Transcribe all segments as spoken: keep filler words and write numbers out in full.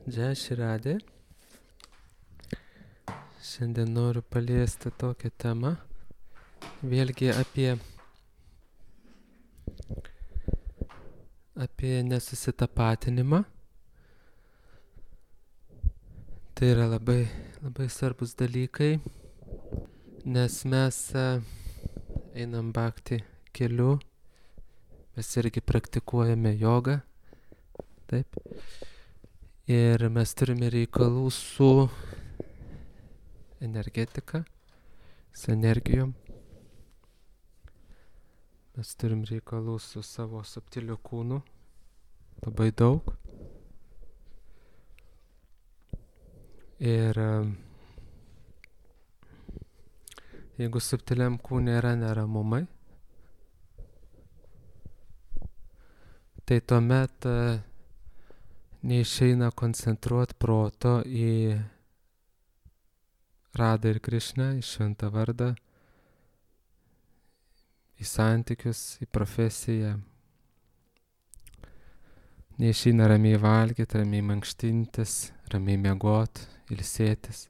Džai Širadė. Šiandien noriu paliesti tokią temą, vėlgi apie, apie nesusitapatinimą. Tai yra labai, labai svarbus dalykai, nes mes einam bhakti keliu, mes irgi praktikuojame jogą, taip. Ir mes turime reikalų su energetika, su energijom. Mes turim reikalų su savo subtiliu kūnu, labai daug. Ir jeigu subtiliam kūne yra neramumai, tai tuomet neišeina koncentruoti proto į Radą ir Krišną, į šventą vardą, į santykius, į profesiją. Neišeina ramiai valgyti, ramiai mankštintis, ramiai miegoti, ilsėtis,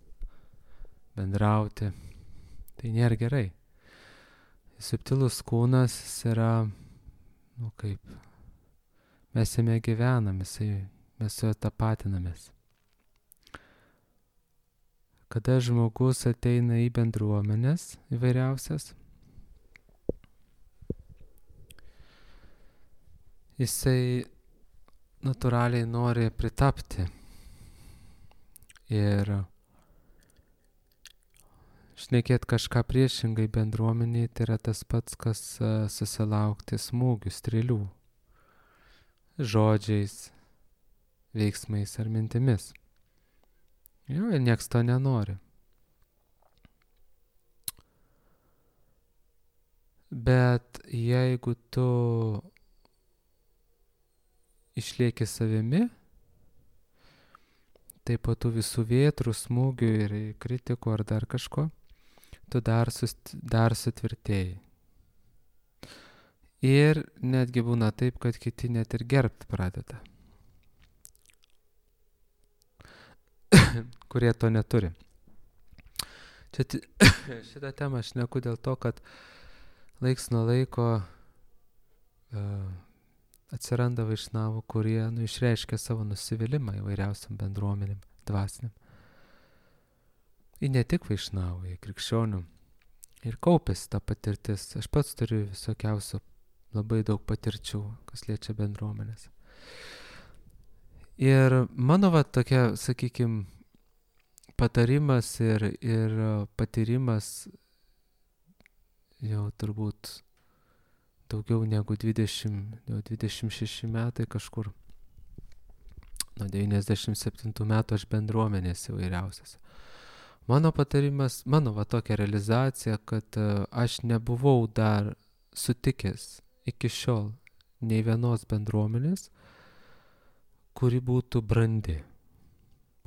bendrauti. Tai nėra gerai. Subtilus kūnas yra, nu kaip, mes jame gyvenam, jisai, mes su juo tapatinamės. Kada žmogus ateina į bendruomenes įvairiausias, jisai natūraliai nori pritapti ir šnekėti kažką priešingai bendruomeniai, tai yra tas pats, kas susilaukti smūgių, strėlių, žodžiais, veiksmais ar mintimis. Jo, ir nieks to nenori. Bet jeigu tu išlieki savimi, tai po tų visų vėtrų, smūgių ir kritikų ar dar kažko, tu dar, sust, dar sutvirtėjai. Ir netgi būna taip, kad kiti net ir gerbt pradeda, kurie to neturi. Čia t... šitą temą aš šneku dėl to, kad laiks nuo laiko uh, atsiranda vaišnavų, kurie nu, išreiškia savo nusivylimą įvairiausiam bendruomenėm, dvasiniam. Ir ne tik vaišnavų, ir krikščionių. Ir kaupėsi ta patirtis. Aš pats turiu visokiausių labai daug patirčių, kas liečia bendruomenės. Ir mano va tokia, sakykime, patarimas ir, ir patyrimas jau turbūt daugiau negu dvidešimt, jau dvidešimt šeši metai kažkur. Nuo devyniasdešimt septintų metų aš bendruomenės įvairiausias. Mano patarimas, mano va tokia realizacija, kad aš nebuvau dar sutikęs iki šiol nei vienos bendruomenės, kuri būtų brandi.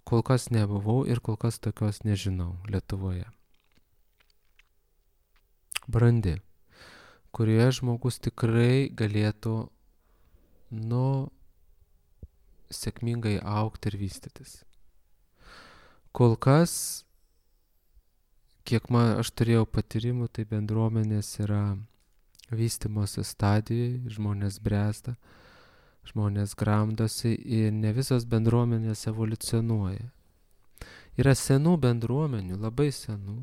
Kol kas nebuvau ir kol kas tokios nežinau Lietuvoje. Brandi, kurioje žmogus tikrai galėtų, nu, sėkmingai augti ir vystytis. Kol kas, kiek man, aš turėjau patyrimų, tai bendruomenės yra vystymosi stadijoje, žmonės bręsta, žmonės gramdosi ir ne visos bendruomenės evoliucionuoja. Yra senų bendruomenių, labai senų,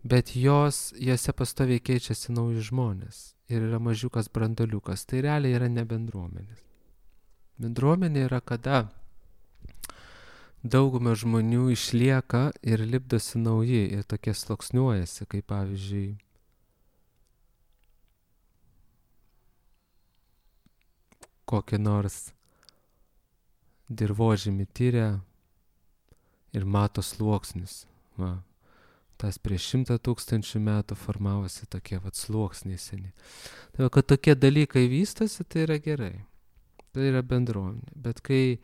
bet jos, jose pastoviai keičiasi nauji žmonės ir yra mažiukas brandoliukas. Tai realiai yra ne bendruomenės. Bendruomenė yra, kada dauguma žmonių išlieka ir lipdosi nauji ir tokie sluoksniuojasi, kaip pavyzdžiui kokį nors dirvožemį tyria ir mato sluoksnius. Va. Tas prieš šimtą tūkstančių metų formavosi tokie vat sluoksniai seni. Tai va, kad tokie dalykai vystosi, tai yra gerai. Tai yra bendruomenė. Bet kai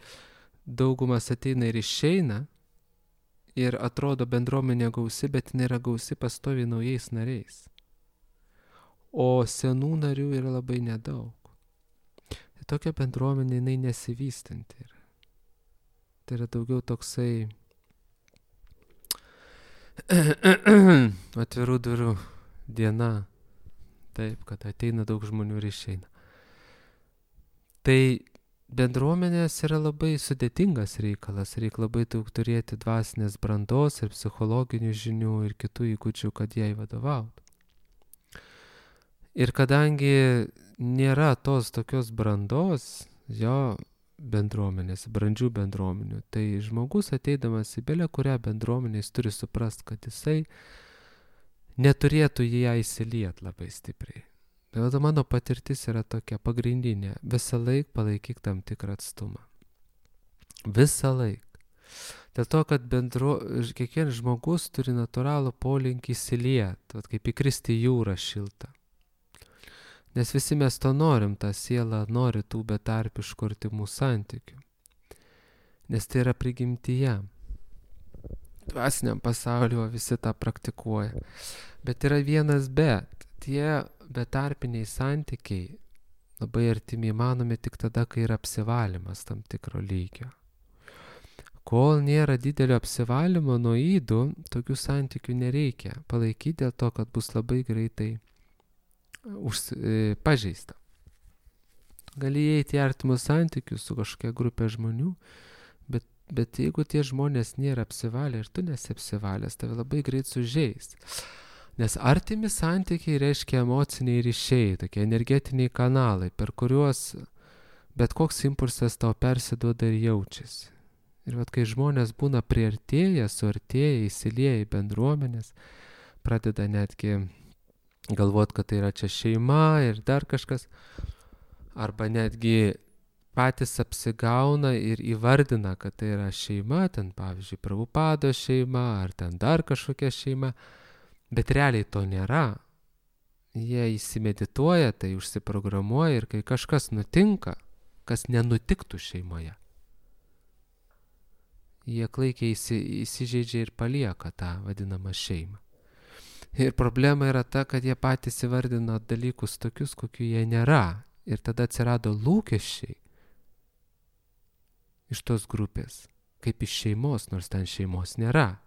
daugumas ateina ir išeina ir atrodo bendruomenė gausi, bet nėra gausi pastoviai naujais nariais. O senų narių yra labai nedaug. Tokia bendruomenė, jinai nesivystanti yra. Tai yra daugiau toksai atvirų durų diena. Taip, kad ateina daug žmonių ir išeina. Tai bendruomenės yra labai sudėtingas reikalas. Reikia labai daug turėti dvasinės brandos ir psichologinių žinių ir kitų įgūdžių, kad jai vadovautų. Ir kadangi nėra tos tokios brandos, jo bendruomenės, brandžių bendruomenių, tai žmogus ateidamas į belę kurią bendruomenę, jis turi suprast, kad jisai neturėtų į ją įsiliet labai stipriai. Tai mano patirtis yra tokia pagrindinė. Visą laiką palaikyk tam tikrą atstumą. Visą laiką. Dėl to, kad bendro, kiekvienas žmogus turi natūralų polinkį įsiliet, kaip įkristi į jūrą šiltą. Nes visi mes to norim, ta siela nori tų betarpiškų artimų santykių. Nes tai yra prigimtyje. Dvasiniam pasaulyje visi tą praktikuoja. Bet yra vienas bet. Tie betarpiniai santykiai labai artimi įmanomi tik tada, kai yra apsivalymas tam tikro lygio. Kol nėra didelio apsivalymo nuo ydų, tokių santykių nereikia palaikyti dėl to, kad bus labai greitai Už, e, pažeista. Gali įeiti į artimus santykius su kažkokia grupė žmonių, bet, bet jeigu tie žmonės nėra apsivalę ir tu nesi apsivalęs, tave labai greit sužeis. Nes artimi santykiai reiškia emociniai ryšiai, tokie energetiniai kanalai, per kuriuos bet koks impulsas tau persiduoda ir jaučiasi. Ir vat, kai žmonės būna priartėję, suartėję, įsilieję į bendruomenės, pradeda netgi galvot, kad tai yra čia šeima ir dar kažkas, arba netgi patys apsigauna ir įvardina, kad tai yra šeima, ten pavyzdžiui Prabhupado šeima, ar ten dar kažkokia šeima, bet realiai to nėra. Jie įsimedituoja, tai užsiprogramuoja ir kai kažkas nutinka, kas nenutiktų šeimoje, jie klaikiai įsi, įsižeidžia ir palieka tą vadinamą šeimą. Ir problema yra ta, kad jie patys įvardino dalykus tokius, kokių jie nėra. Ir tada atsirado lūkesčiai iš tos grupės, kaip iš šeimos, nors ten šeimos nėra.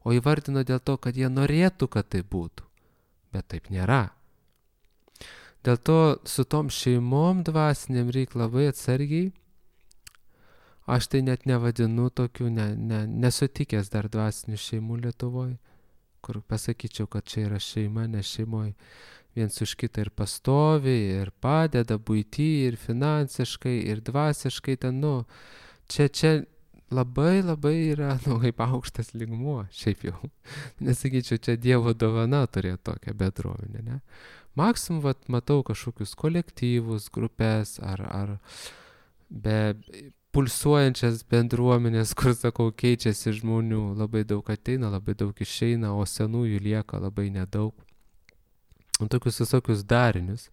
O įvardino dėl to, kad jie norėtų, kad tai būtų. Bet taip nėra. Dėl to su tom šeimom dvasiniam reikia labai atsargiai. Aš tai net nevadinu tokių, ne, ne, nesutikęs dar dvasinių šeimų Lietuvoje, kur pasakyčiau, kad čia yra šeima, nes šeimoje viens už kitą ir pastovi, ir padeda buity, ir finansiškai, ir dvasiškai ten, nu, čia, čia labai labai yra, nu, kaip aukštas lygmuo, šiaip jau. Nesakyčiau, čia Dievo dovana turėti tokią bendruomenę, ne? Maksimum, vat, matau kažkokius kolektyvus, grupės, ar, ar be pulsuojančias bendruomenės, kur, sakau, keičiasi žmonių, labai daug ateina, labai daug išeina, o senųjų lieka labai nedaug. Tokius visokius darinius.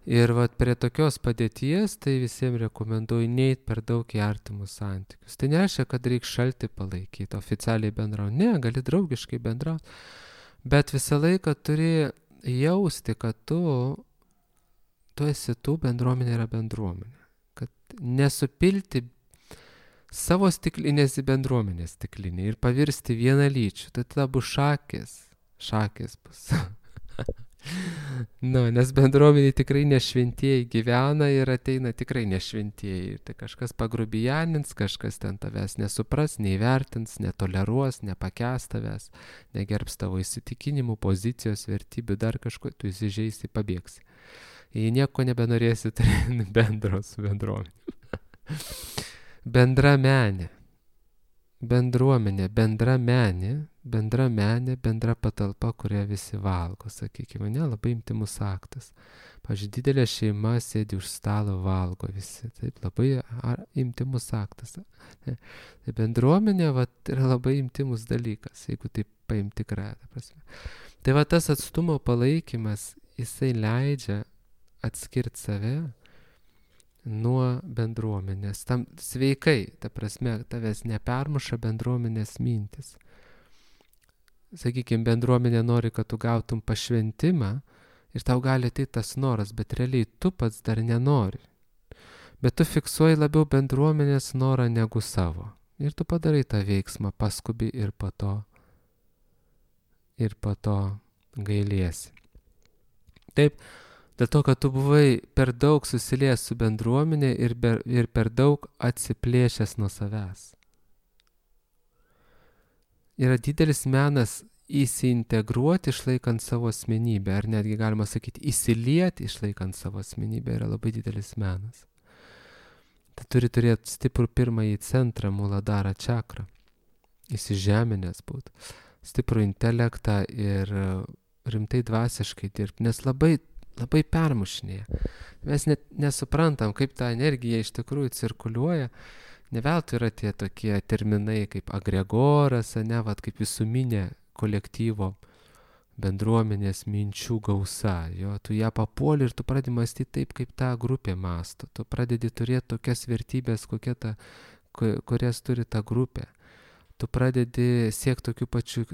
Ir vat prie tokios padėties, tai visiems rekomenduoju neit per daug į artimus santykius. Tai nereiškia, kad reikia šalti palaikyti, oficialiai bendrauti. Ne, gali draugiškai bendrauti. Bet visą laiką turi jausti, kad tu, tu esi tu, bendruomenė yra bendruomenė. Kad nesupilti savo stiklinės į bendruomenės stiklinį ir pavirsti vienalyčių. Tai tada bus šakės. Šakės bus. Nu, nes bendruomeniai tikrai nešventieji gyvena ir ateina tikrai nešventieji. Tai kažkas pagrubijanins, kažkas ten tavęs nesupras, neįvertins, netoleruos, nepakęs tavęs, negerbs tavo įsitikinimų, pozicijos, vertybių, dar kažko, tu įsižeisi, pabėgsi. Jei nieko nebenorėsi turėti bendro su bendruomenė. Bendra menė. Bendruomenė, bendra menė, bendra menė, bendra patalpa, kurią visi valgo, sakykime, ne, labai intymus aktas. Pavyzdžiui, didelė šeima sėdi už stalo, valgo visi, taip, labai ar, intymus aktas. Ne. Tai bendruomenė, va, yra labai intymus dalykas, jeigu taip paimti tikrąją prasme. Tai va tas atstumo palaikymas, jisai leidžia atskirti save nuo bendruomenės. Tam sveikai, ta prasme, tavęs nepermuša bendruomenės mintis. Sakykime, bendruomenė nori, kad tu gautum pašventimą ir tau gali ateiti tas noras, bet realiai tu pats dar nenori. Bet tu fiksuoji labiau bendruomenės norą negu savo. Ir tu padarai tą veiksmą, paskubi ir po to, ir po to gailiesi. Taip, dėl to, kad tu buvai per daug susiliejęs su bendruomenė ir, ber, ir per daug atsiplėšęs nuo savęs. Yra didelis menas įsiintegruoti išlaikant savo asmenybę, ar netgi galima sakyti įsilieti išlaikant savo asmenybę yra labai didelis menas. Tai turi turėti stiprų pirmąjį centrą, Muladhara čakrą, įsižeminęs būt, stiprų intelektą ir rimtai dvasiškai dirbti, nes labai, labai permušinėja. Mes net nesuprantam, kaip ta energija iš tikrųjų cirkuliuoja. Ne veltui yra tie tokie terminai kaip agregoras, ne, vat, kaip visuminė kolektyvo bendruomenės minčių gausa. Jo, tu ją papuoli ir tu pradedi mąstyti taip, kaip ta grupė mąsto. Tu pradedi turėti tokias vertybės, kokie ta, kurias turi ta grupė. Tu pradedi siekti tokių pačių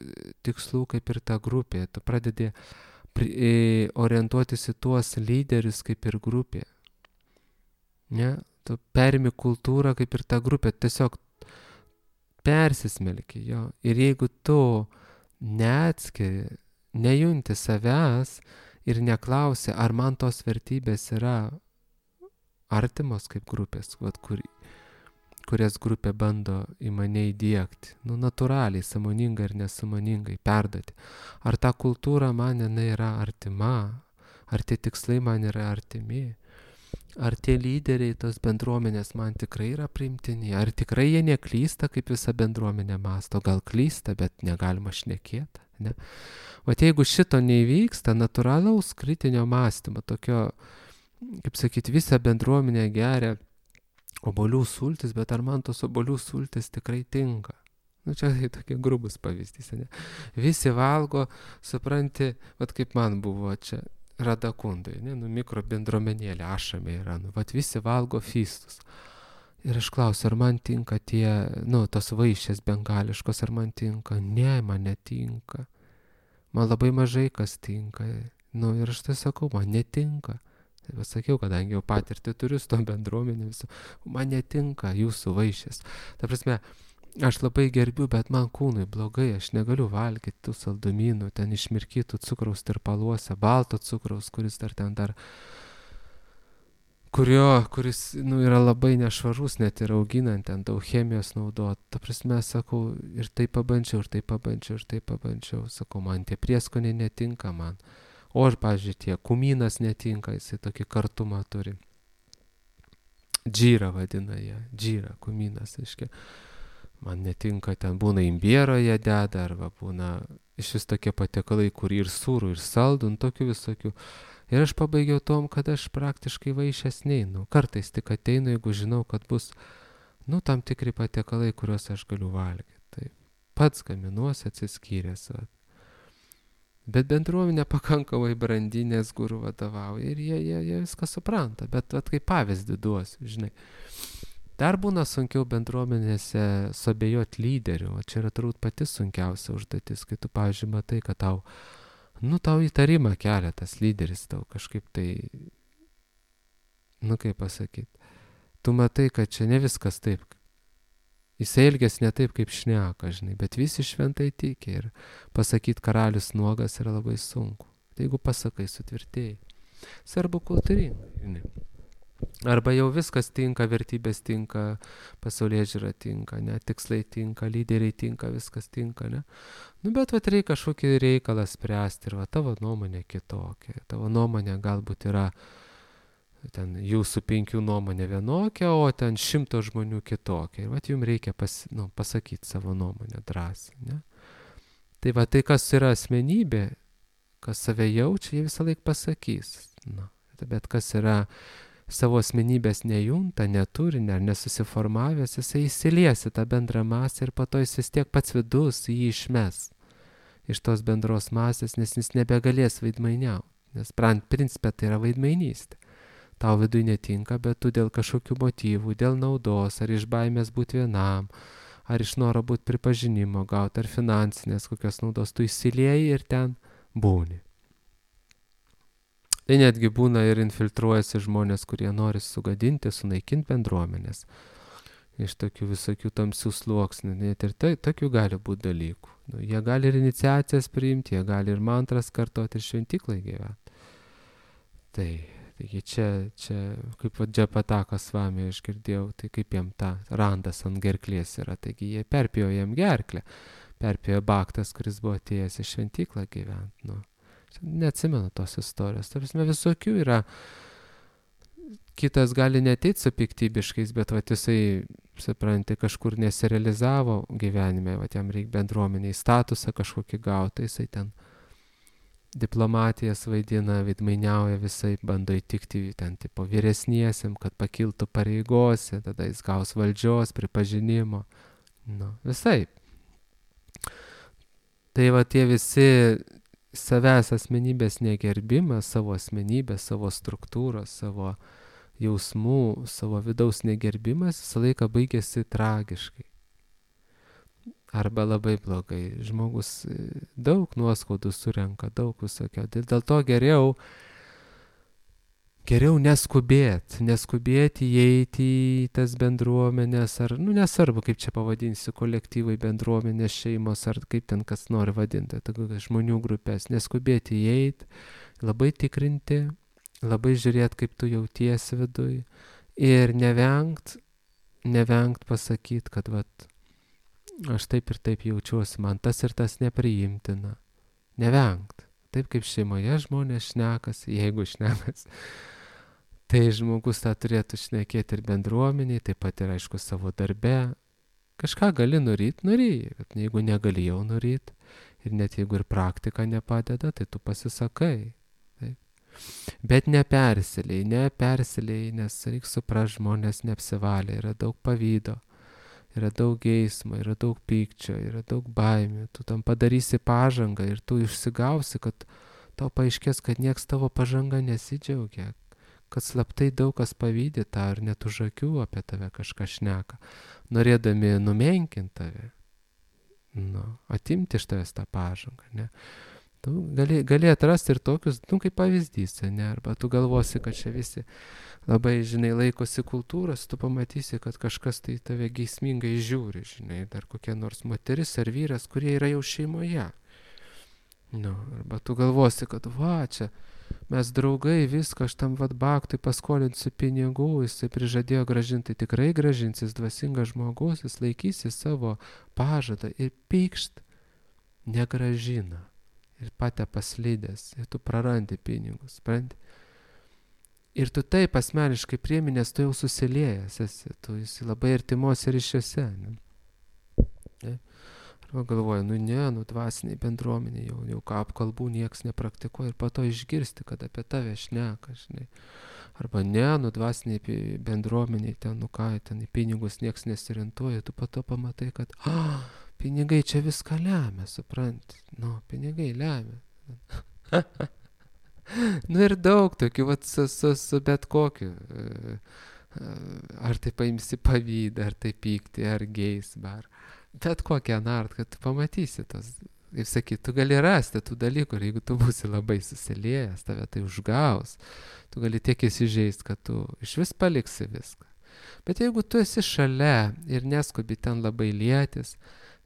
tikslų kaip ir ta grupė. Tu pradedi orientuotis į tuos lyderius kaip ir grupė. Ne? Tu perimi kultūrą kaip ir ta grupė. Tiesiog persismelki jo. Ir jeigu tu neatskiri, nejunti savęs ir neklausi, ar man tos vertybės yra artimos kaip grupės, vat, kur, kurias grupė bando į mane įdiegti, nu, natūraliai, sąmoningai ir nesąmoningai perduoti. Ar ta kultūra man yra artima, ar tie tikslai man yra artimi, ar tie lyderiai, tos bendruomenės man tikrai yra priimtini, ar tikrai jie neklysta, kaip visa bendruomenė mąsto, gal klysta, bet negalima šnekėti. Ne? O jeigu šito neįvyksta, natūralaus kritinio mąstymo, tokio, kaip sakyti, visą bendruomenę geria obuolių sultis, bet ar man tos obuolių sultis tikrai tinka? Nu, čia tai tokie grubus pavyzdys, ne? Visi valgo, supranti, vat kaip man buvo čia Radakundai, ne, nu, mikro bendruomenėlė, ašame yra, nu, vat visi valgo fistus. Ir aš klausiu, ar man tinka tie, nu, tos vaišės bengališkos, ar man tinka? Ne, man netinka. Man labai mažai kas tinka. Nu, ir aš tai sakau, man netinka. Tai pasakiau, kadangi jau patirtį turiu su tom bendruomenėm, man netinka jūsų vaišės. Ta prasme, aš labai gerbiu, bet man kūnui blogai, aš negaliu valgyti tų saldumynų, ten išmirkytų cukraus tirpaluose, balto cukraus, kuris dar ten dar, kurio, kuris, nu, yra labai nešvarus, net ir auginant, ten daug chemijos naudot. Ta prasme, sakau, ir tai pabandžiau, ir tai pabandžiau, ir tai pabandžiau. Sakau, man tie prieskoniai netinka man. O ir, pavyzdžiui, tie kumynas netinka, jisai tokį kartumą turi. Džyra vadina jie, džyra, kumynas, aiškiai. Man netinka, ten būna imbiero jie deda, arba būna iš vis tokie patiekalai, kur ir sūrų, ir saldų, nu, tokių visokių. Ir aš pabaigiau tom, kad aš praktiškai vaišės neinu. Kartais tik ateinu, jeigu žinau, kad bus, nu, tam tikri patiekalai, kuriuos aš galiu valgyti. Taip, pats gaminuosi atsiskyręs. Va. Bet bendruomenė pakankamai brandinės gurų vadovauja ir jie, jie, jie viską supranta. Bet vat, kaip pavyzdį duosiu, žinai. Dar būna sunkiau bendruomenėse suabejoti lyderių. O čia yra turbūt pati sunkiausia užduotis, kai tu, pavyzdžiui, matai, kad tau, nu, tau įtarimą kelia tas lyderis, tau kažkaip tai, nu, kaip pasakyti, tu matai, kad čia ne viskas taip. Jis elgės ne taip, kaip šneka, žinai, bet visi šventai tiki ir pasakyti karalius nuogas yra labai sunku. Tai jeigu pasakai, sutvirtėjai. Svarbu kultūringai, žinai. Arba jau viskas tinka, vertybės tinka, pasaulėžiūra tinka, ne, tikslai tinka, lyderiai tinka, viskas tinka, ne. Nu, bet vat reikia kažkokį reikalą spręsti ir va tavo nuomonė kitokia. Tavo nuomonė galbūt yra ten jūsų penkių nuomonė vienokia, o ten šimto žmonių kitokia. Ir vat jums reikia pas, nu, pasakyti savo nuomonę drąsiai, ne. Tai va tai, kas yra asmenybė, kas save jaučia, jie visą laiką pasakys. Nu, bet kas yra savo asmenybės nejunta, neturi, ar nesusiformavęs, jisai įsilies į tą bendrą masę ir po to jis vis tiek pats vidus jį išmes iš tos bendros masės, nes jis nebegalės vaidmainiauti. Nes principė tai yra vaidmainystė. Tau vidui netinka, bet tu dėl kažkokių motyvų, dėl naudos, ar iš baimės būti vienam, ar iš noro būti pripažinimo gauti, ar finansinės kokios naudos, tu įsilieji ir ten būni. Tai netgi būna ir infiltruojasi žmonės, kurie nori sugadinti, sunaikinti bendruomenės. iš tokių visokių tamsių sluoksnių, net ir tai, tokių gali būti dalykų. Nu, jie gali ir iniciacijas priimti, jie gali ir mantras kartoti ir šventyklai gyventi. Tai, taigi čia, čia kaip va Džapataka Svami aš girdėjau, tai kaip jam ta randas ant gerklės yra, taigi jie perpėjo jam gerklę, perpėjo baktas, kuris buvo atėjęs į šventyklą gyventi. Nu, neatsimenu tos istorijos, ta prasme visokių yra. Kitas gali neateit su piktybiškais, bet vat jisai, supranti, kažkur nesirealizavo gyvenime, vat jam reikia bendruomeniai statusą kažkokį gauti, jisai ten diplomatijas vaidina, veidmainiauja visai, bando įtikti ten tipo vyresniesiam, kad pakiltų pareigose, tada jis gaus valdžios, pripažinimo, nu, visai. Tai va tie visi savęs asmenybės negerbimas, savo asmenybės, savo struktūros, savo jausmų, savo vidaus negerbimas visą laiką baigėsi tragiškai. Arba labai blogai. Žmogus daug nuoskaudų surenka, daug visokio. Dėl to geriau, geriau neskubėti, neskubėti įeiti į tas bendruomenės, ar, nu nesvarbu, kaip čia pavadinsiu, kolektyvai, bendruomenės, šeimos, ar kaip ten kas nori vadinti, žmonių grupės, neskubėti įeiti, labai tikrinti, labai žiūrėti, kaip tu jautiesi viduj ir nevengt, nevengt pasakyti, kad vat, aš taip ir taip jaučiuosi, man tas ir tas nepriimtina. Nevengt. Taip kaip šeimoje žmonės šnekasi, jeigu šnekas, tai žmogus tą turėtų šnekėti ir bendruomeniai, taip pat ir aišku savo darbe. Kažką gali nuryt, nuryt, bet jeigu negali jau nuryt ir net jeigu ir praktika nepadeda, tai tu pasisakai. Bet nepersilėjai, nepersilėjai, nes reikia suprast, žmonės neapsivalė, yra daug pavydo, yra daug geismo, yra daug pykčio, yra daug baimių, tu tam padarysi pažangą ir tu išsigausi, kad tau paaiškės, kad nieks tavo pažanga nesidžiaugia, kad slaptai daug kas pavydi tą ar net už akių apie tave kažką šneka, norėdami numenkinti tave, nu, atimti iš tavęs tą pažangą, ne? Tu gali, gali atrasti ir tokius, nu, kaip pavyzdys, ne? Arba tu galvosi, kad čia visi labai, žinai, laikosi kultūros, tu pamatysi, kad kažkas tai tave geismingai žiūri, žinai, dar kokia nors moteris ar vyras, kurie yra jau šeimoje. Nu, arba tu galvosi, kad va, čia mes draugai, viską, aš tam vat baktui paskolinsiu pinigų, jisai prižadėjo gražinti, tikrai gražins, jis dvasingas žmogus, jis laikysi savo pažadą ir pykšt negražina. Ir patė paslydęs, ir tu prarandi pinigus, supranti. Ir tu taip asmeniškai priimi, nes tu jau susiliejęs esi, tu esi labai artimuose ryšiuose. Ne? Ne? Arba galvoju, nu ne, nu dvasiniai bendruomeniai, jau, jau ką apkalbų nieks nepraktikuoja ir po to išgirsti, kad apie tave šneka, žinai. Arba ne, nu dvasiniai bendruomeniai, ten, nu ką, ten į pinigus nieks nesirintuoja, tu po to pamatai, kad ah, pinigai čia viską lemia, supranti. Nu, pinigai lemia. Nu ir daug tokių, vat, su, su, su bet kokiu. Ar tai paimsi pavydą, ar tai pykti, ar geismą, ar bet kokią nart, kad tu pamatysi tos. Kaip sakyt, tu gali rasti tų dalykų ir jeigu tu būsi labai susiliejęs, tave tai užgaus. Tu gali tiek įsižeist, kad tu iš vis paliksi viską. Bet jeigu tu esi šalia ir neskubi ten labai lietis,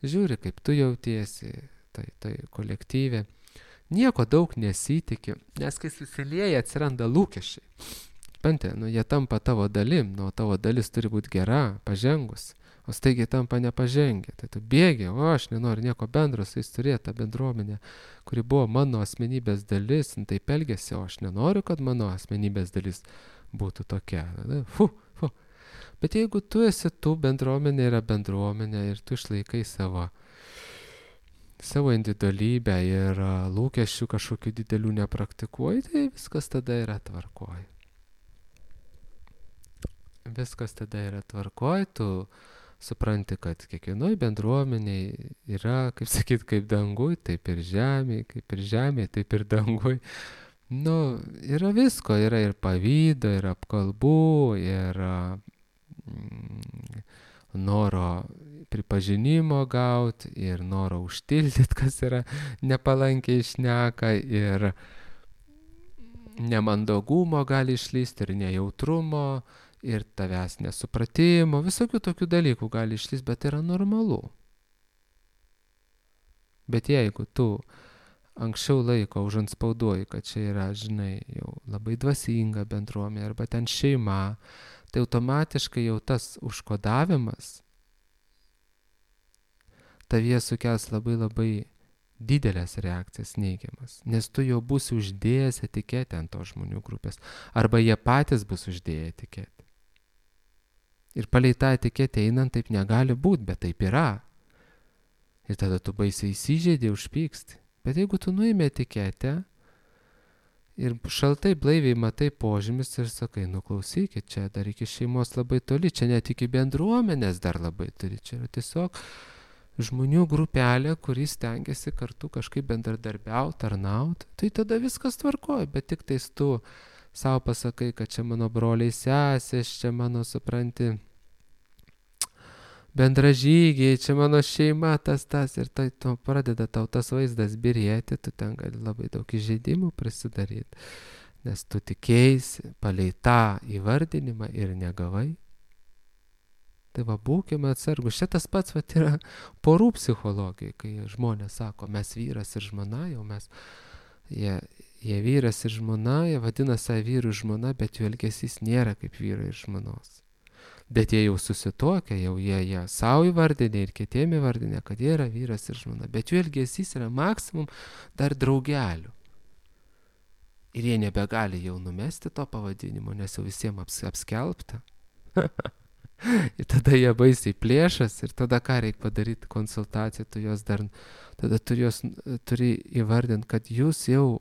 žiūri, kaip tu jautiesi, tai, tai kolektyvė, nieko daug nesitiki, nes kai susilieja atsiranda lūkesčiai. Pantė, nu jie tampa tavo dalim, nu tavo dalis turi būti gera, pažengus, o staigiai tampa nepažengę. Tai tu bėgi, o aš nenoriu nieko bendro su jais turėti, tą bendruomenę, kuri buvo mano asmenybės dalis, taip elgėsi, o aš nenoriu, kad mano asmenybės dalis būtų tokia. Fu, fu. Bet jeigu tu esi tu, bendruomenė yra bendruomenė ir tu išlaikai savo, savo individualybę ir lūkesčių kažkokių didelių nepraktikuoji, tai viskas tada yra tvarkoj. Viskas tada yra tvarkoj, tu supranti, kad kiekvienoj bendruomeniai yra, kaip sakyt, kaip danguj, taip ir žemėj, kaip ir žemėj, taip ir danguj. Nu, yra visko, yra ir pavydo, ir apkalbų, ir mm, noro pripažinimo gauti, ir noro užtildyti, kas yra nepalankiai šneka, ir nemandagumo gali išlysti, ir nejautrumo, ir tavęs nesupratimo, visokių tokių dalykų gali išlįsti, bet tai yra normalu. Bet jeigu tu anksčiau laiko užantspauduoji, kad čia yra, žinai, jau labai dvasinga bendruomenė arba ten šeima, tai automatiškai jau tas užkodavimas tavyje sukels labai labai didelės reakcijas neigiamas, nes tu jau būsi uždėjęs etiketę ant to žmonių grupės, arba jie patys bus uždėję etiketę. Ir palei tą etiketę einant taip negali būti, bet taip yra. Ir tada tu baisiai įsižeidė, užpyksti. Bet jeigu tu nuimi etiketę ir šaltai blaiviai matai požymis ir sakai, nu klausykit, čia dar iki šeimos labai toli, čia net iki bendruomenės dar labai toli, čia yra tiesiog žmonių grupelė, kuris stengiasi kartu kažkaip bendradarbiauti, tarnauti, tai tada viskas tvarkoja, bet tik tais tu savo pasakai, kad čia mano broliai sesės, čia mano, supranti, bendražygiai, čia mano šeima, tas, tas, ir tai to pradeda tau tas vaizdas birėti, tu ten gali labai daug įžeidimų prisidaryti, nes tu tikėjaisi palei tą įvardinimą ir negavai. Tai va, būkime atsargus. Šitas pats va, yra porų psichologija, kai žmonės sako, mes vyras ir žmona, jau mes, jie, jie vyras ir žmona, jie vadina save vyrų ir žmona, bet jų elgesys nėra kaip vyrai ir žmonos. Bet jie jau susituokia, jau jie, jie savo įvardinė ir kitiem įvardinė, kad jie yra vyras ir žmona, bet jų elgesys yra maksimum dar draugelių. Ir jie nebegali jau numesti to pavadinimo, nes jau visiems aps, apskelbta. Ir tada jie baisiai plėšas ir tada ką reikia padaryti konsultaciją, tu jos dar, tada turi, jos, turi įvardinti, kad jūs jau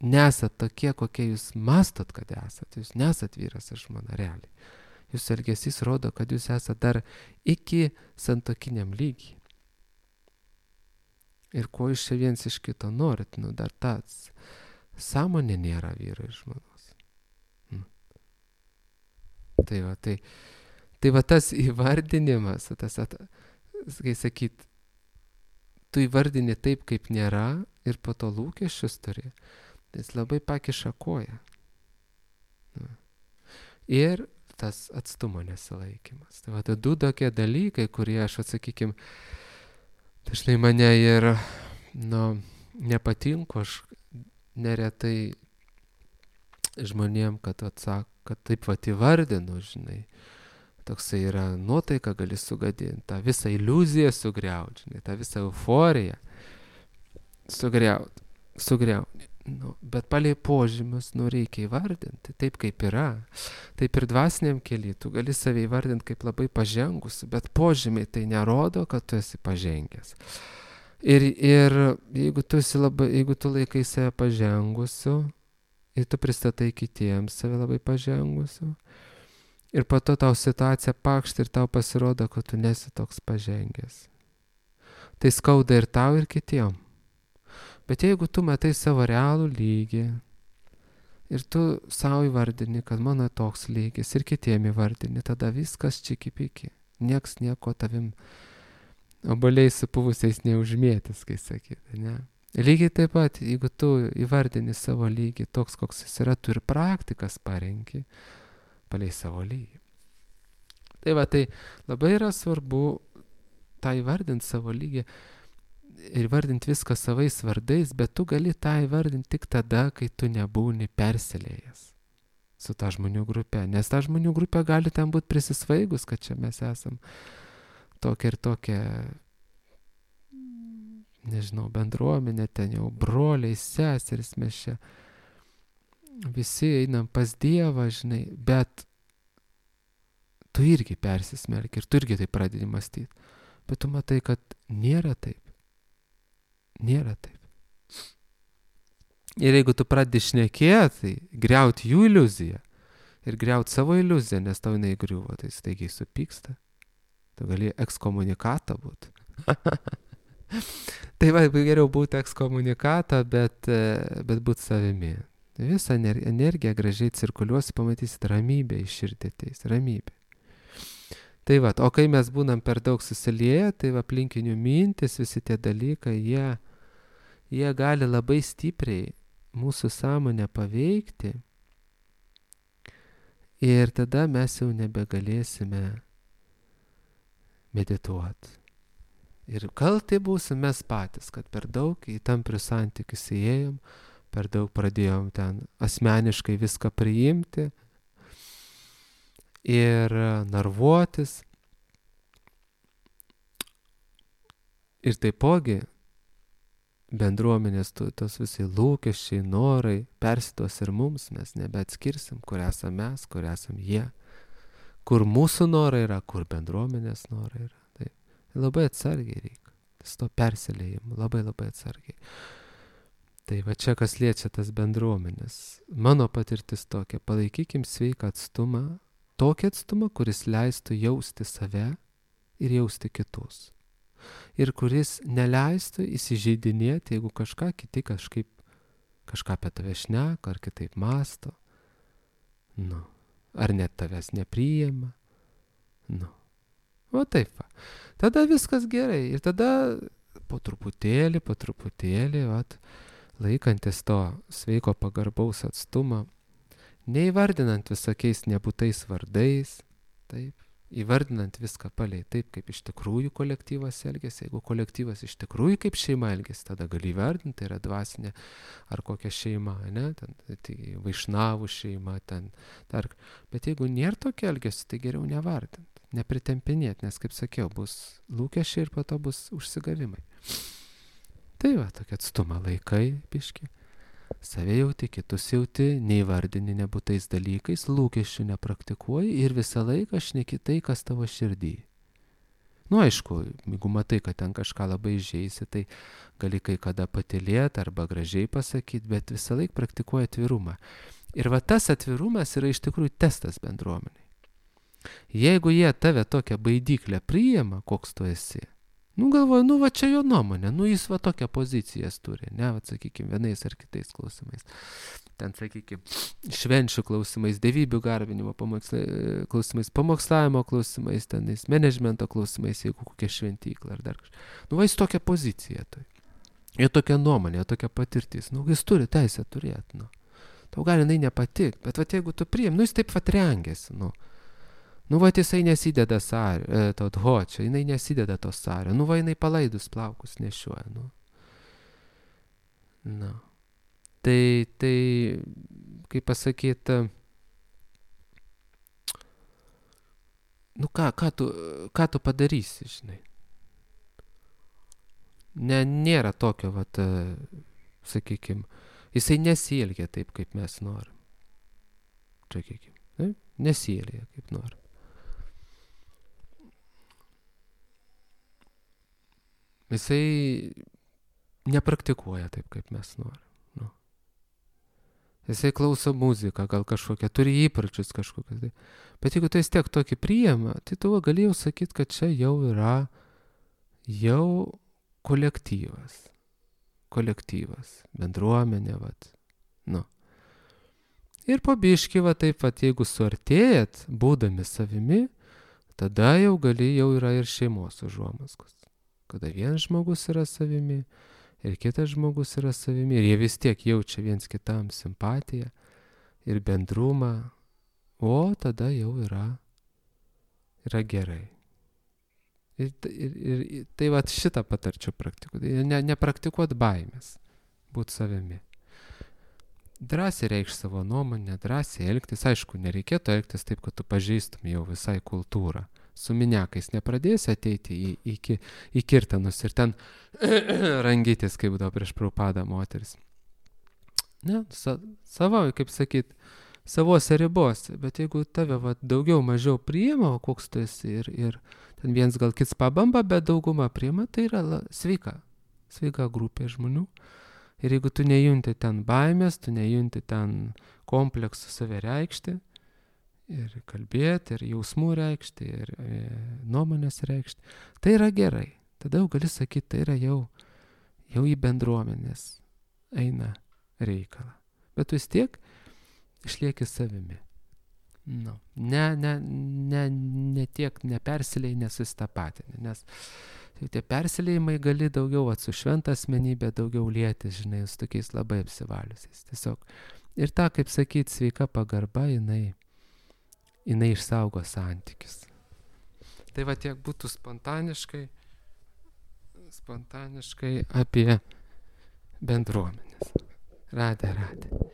nesat tokie, kokie jūs mastot, kad esat, jūs nesat vyras ir žmona realiai. Jūsų elgesys rodo, kad jūs esat dar iki santokiniam lygiai. Ir ko iš čia viens iš kito norit, nu dar tas sąmonė nėra vyro ir žmonos. Hmm. Tai va, tai Tai va tas įvardinimas, tas, at, kai sakyt, tu įvardini taip, kaip nėra ir po to lūkesčius turi, tai jis labai pakiša koją. Ir tas atstumo nesilaikymas. Tai va, tai du tokie dalykai, kurie aš atsakykim, dažnai mane ir, nu, nepatinku, aš neretai žmonėm, kad atsak, kad taip va įvardinu, žinai, toksai yra nuotaika, gali sugadinti, tą visą iliuziją sugriauti, žinai, tą visą euforiją sugriauti, sugriauti. Nu, bet palei požymius, nu, reikia įvardinti, taip kaip yra. Taip ir dvasiniam kely, tu gali save įvardinti kaip labai pažengusi, bet požymiai tai nerodo, kad tu esi pažengęs. Ir, ir jeigu tu esi labai, jeigu tu laikai save pažengusiu, ir tu pristatai kitiems save labai pažengusiu, ir po to tau situacija pakšt ir tau pasirodo, kad tu nesi toks pažengęs. Tai skauda ir tau, ir kitiem. Bet jeigu tu matai savo realų lygį ir tu savo įvardini, kad mano toks lygis ir kitiem įvardini, tada viskas čiki-piki. Nieks nieko tavim oboliai supuvusiais neužmėtis, kai sakyti, ne? Lygiai taip pat, jeigu tu įvardini savo lygį toks, koks jis yra, tu ir praktikas parenki palei savo lygį. Tai va, tai labai yra svarbu tą įvardinti savo lygį ir įvardinti viską savais vardais, bet tu gali tą įvardinti tik tada, kai tu nebūni persilėjęs su ta žmonių grupė. Nes ta žmonių grupė gali ten būti prisisvaigus, kad čia mes esam tokia ir tokia, nežinau, bendruomenė, ten jau broliai, seseris, mes čia visi einam pas Dievą, žinai, bet tu irgi persismelki ir tu irgi tai pradedi mąstyti. Bet tu matai, kad nėra taip. Nėra taip. Ir jeigu tu pradedi šnekėti, tai griauti jų iliuziją ir griauti savo iliuziją, nes tau jinai griuvo, tai staigiai supyksta. Tu gali ekskomunikatą būti. Tai va, geriau būti ekskomunikatą, bet, bet būti savimi. Visą energiją gražiai cirkuliuosi, pamatysit ramybę iš širdį ateis, ramybė. Tai va, o kai mes būnam per daug susilieję, tai va, aplinkinių mintis, visi tie dalykai, jie, jie gali labai stipriai mūsų sąmonę paveikti Ir tada mes jau nebegalėsime medituoti. Ir kaltai būsim mes patys, kad per daug į tamprius santykius įėjom, per daug pradėjom ten asmeniškai viską priimti ir narvuotis. Ir taipogi bendruomenės tos visai lūkesčiai, norai persitos ir mums, mes nebeatskirsim, kur esam mes, kur esam jie, kur mūsų norai yra, kur bendruomenės norai yra. Tai labai atsargiai reikia, tas to persilėjimo, labai labai atsargiai. Tai va čia kas liečia tas bendruomenės. Mano patirtis tokia, palaikykim sveiką atstumą, tokį atstumą, kuris leistų jausti save ir jausti kitus. Ir kuris neleistų įsižeidinėti, jeigu kažką kiti kažkaip, kažką apie tave šneka, ar kitaip masto, nu, ar net tavęs nepriima, nu, o taip va. Tada viskas gerai ir tada po truputėlį, po truputėlį, vat, laikantis to sveiko pagarbaus atstumo, neįvardinant visokiais nebūtais vardais, taip, įvardinant viską palei taip, kaip iš tikrųjų kolektyvas elgėsi. Jeigu kolektyvas iš tikrųjų kaip šeima elgėsi, tada gali įvardinti, tai yra dvasinė ar kokia šeima, ne, ten, tai vaišnavų šeima, ten, dar. Bet jeigu nėra tokia elgėsi, tai geriau nevardinti, nepritempinėti, nes, kaip sakiau, bus lūkesčiai ir po to bus užsigavimai. Tai va, tokia atstumą laikai, biški. Save jauti, kitus jauti, neįvardini nebūtais dalykais, lūkesčių nepraktikuoji ir visą laiką šneki tai, kas tavo širdį. Nu, aišku, jeigu matai, kad ten kažką labai žeisi, tai gali kai kada patylėti arba gražiai pasakyti, bet visą laiką praktikuoji atvirumą. Ir va tas atvirumas yra iš tikrųjų testas bendruomeniai. Jeigu jie tave tokią baidyklę priima, koks tu esi, nu galvoju, nu va čia jo nuomonė, nu jis va tokią poziciją turi, ne, va sakykime, vienais ar kitais klausimais. Ten, sakykime, švenčių klausimais, dievybių garbinimo klausimais, pamokslavimo klausimais, tenais, menedžmento klausimais, jeigu kokia šventykla ar dar kažkas. Nu va jis tokią poziciją turi. Jo tokia nuomonė, jo tokia patirtis. Nu jis turi teisę turėti, nu. Tau gali jinai nepatikti, bet va jeigu tu priim, nu jis taip pat rengėsi, nu. Nu, va, jisai nesideda sario, e, to dhočio, jinai nesideda to sario. Nu, va, jinai palaidus plaukus nešioja, nu. Nu. Tai, tai, kaip pasakyti, nu, ką, ką tu, ką tu padarysi, žinai. Ne, nėra tokio, va, sakykime, jisai nesielgia taip, kaip mes norim. Sakykime, ne? Nesielgia, kaip norim. Jisai nepraktikuoja taip, kaip mes norim. Nu. Jisai klauso muziką, gal kažkokią, turi įpročius kažkokius. Tai. Bet jeigu tai vis tiek tokį priima, tai tu galėjau sakyti, kad čia jau yra jau kolektyvas. Kolektyvas, bendruomenė, vat. Nu. Ir po biškį, va taip, vat, jeigu suartėjat, būdami savimi, tada jau gali, jau yra ir šeimos užuomazgos. Kada vienas žmogus yra savimi ir kitas žmogus yra savimi ir jie vis tiek jaučia viens kitam simpatiją ir bendrumą, o tada jau yra, yra gerai. Ir, ir, ir tai va šitą patarčiau praktikuoti. Ne, nepraktikuoti baimės, būti savimi. Drąsiai reikš savo nuomonę, drąsiai elgtis. Aišku, nereikėtų elgtis taip, kad tu pažeistum jau visai kultūrą. Su miniakais nepradėsi ateiti į, į, į kirtanus ir ten rangytis, kaip būdavo prieš Prabhupadą moteris. Ne, sa, savo, kaip sakyt, savose ribose, bet jeigu tave va, daugiau mažiau priima, o koks tu esi ir, ir ten viens gal kits pabamba, bet dauguma priima, tai yra la, sveika, sveika grupė žmonių. Ir jeigu tu nejunti ten baimės, tu nejunti ten kompleksų save reikšti, ir kalbėti, ir jausmų reikšti, ir e, nuomonės reikšti, tai yra gerai. Tada jau gali sakyti, tai yra jau, jau į bendruomenės eina reikalą. Bet tu vis tiek išlieki savimi. Nu, ne, ne, ne, ne tiek nepersilėjai, nesusitapatinį, nes tie persilėjimai gali daugiau at su šventa asmenybė, daugiau lietis, žinai, su tokiais labai apsivaliusiais. Tiesiog. Ir ta, kaip sakyti, sveika pagarba, jinai jinai išsaugo santykius. Tai va tiek būtų spontaniškai, spontaniškai apie bendruomenės. Radė, radė.